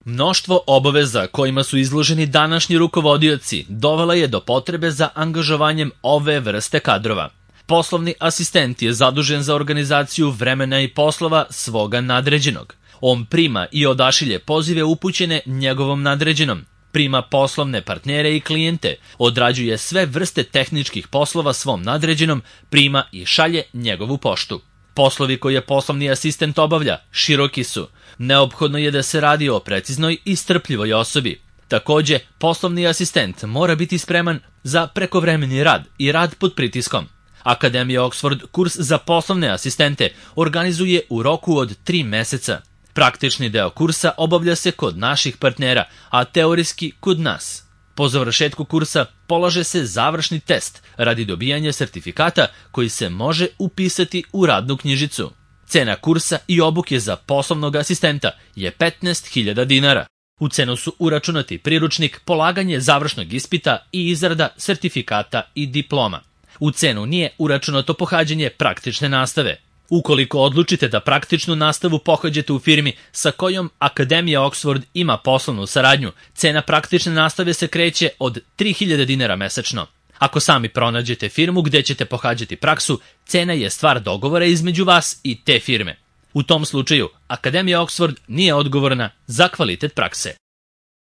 Mnoštvo obaveza kojima su izloženi današnji rukovodioci dovela je do potrebe za angažovanjem ove vrste kadrova. Poslovni asistent je zadužen za organizaciju vremena i poslova svoga nadređenog. On prima i odašilje pozive upućene njegovom nadređenom, prima poslovne partnere i klijente, odrađuje sve vrste tehničkih poslova svom nadređenom, prima i šalje njegovu poštu. Poslovi koje poslovni asistent obavlja široki su. Neophodno je da se radi o preciznoj i strpljivoj osobi. Takođe, poslovni asistent mora biti spreman za prekovremeni rad i rad pod pritiskom. Akademija Oxford kurs za poslovne asistente organizuje u roku od 3 meseca. Praktični deo kursa obavlja se kod naših partnera, a teorijski kod nas. Po završetku kursa polaže se završni test radi dobijanja sertifikata koji se može upisati u radnu knjižicu. Cena kursa i obuke za poslovnog asistenta je 15.000 dinara. U cenu su uračunati priručnik, polaganje završnog ispita i izrada sertifikata i diploma. U cenu nije uračunato pohađanje praktične nastave. Ukoliko odlučite da praktičnu nastavu pohađate u firmi sa kojom Akademija Oxford ima poslovnu saradnju, cena praktične nastave se kreće od 3.000 dinara mesečno. Ako sami pronađete firmu gde ćete pohađati praksu, cena je stvar dogovora između vas i te firme. U tom slučaju, Akademija Oxford nije odgovorna za kvalitet prakse.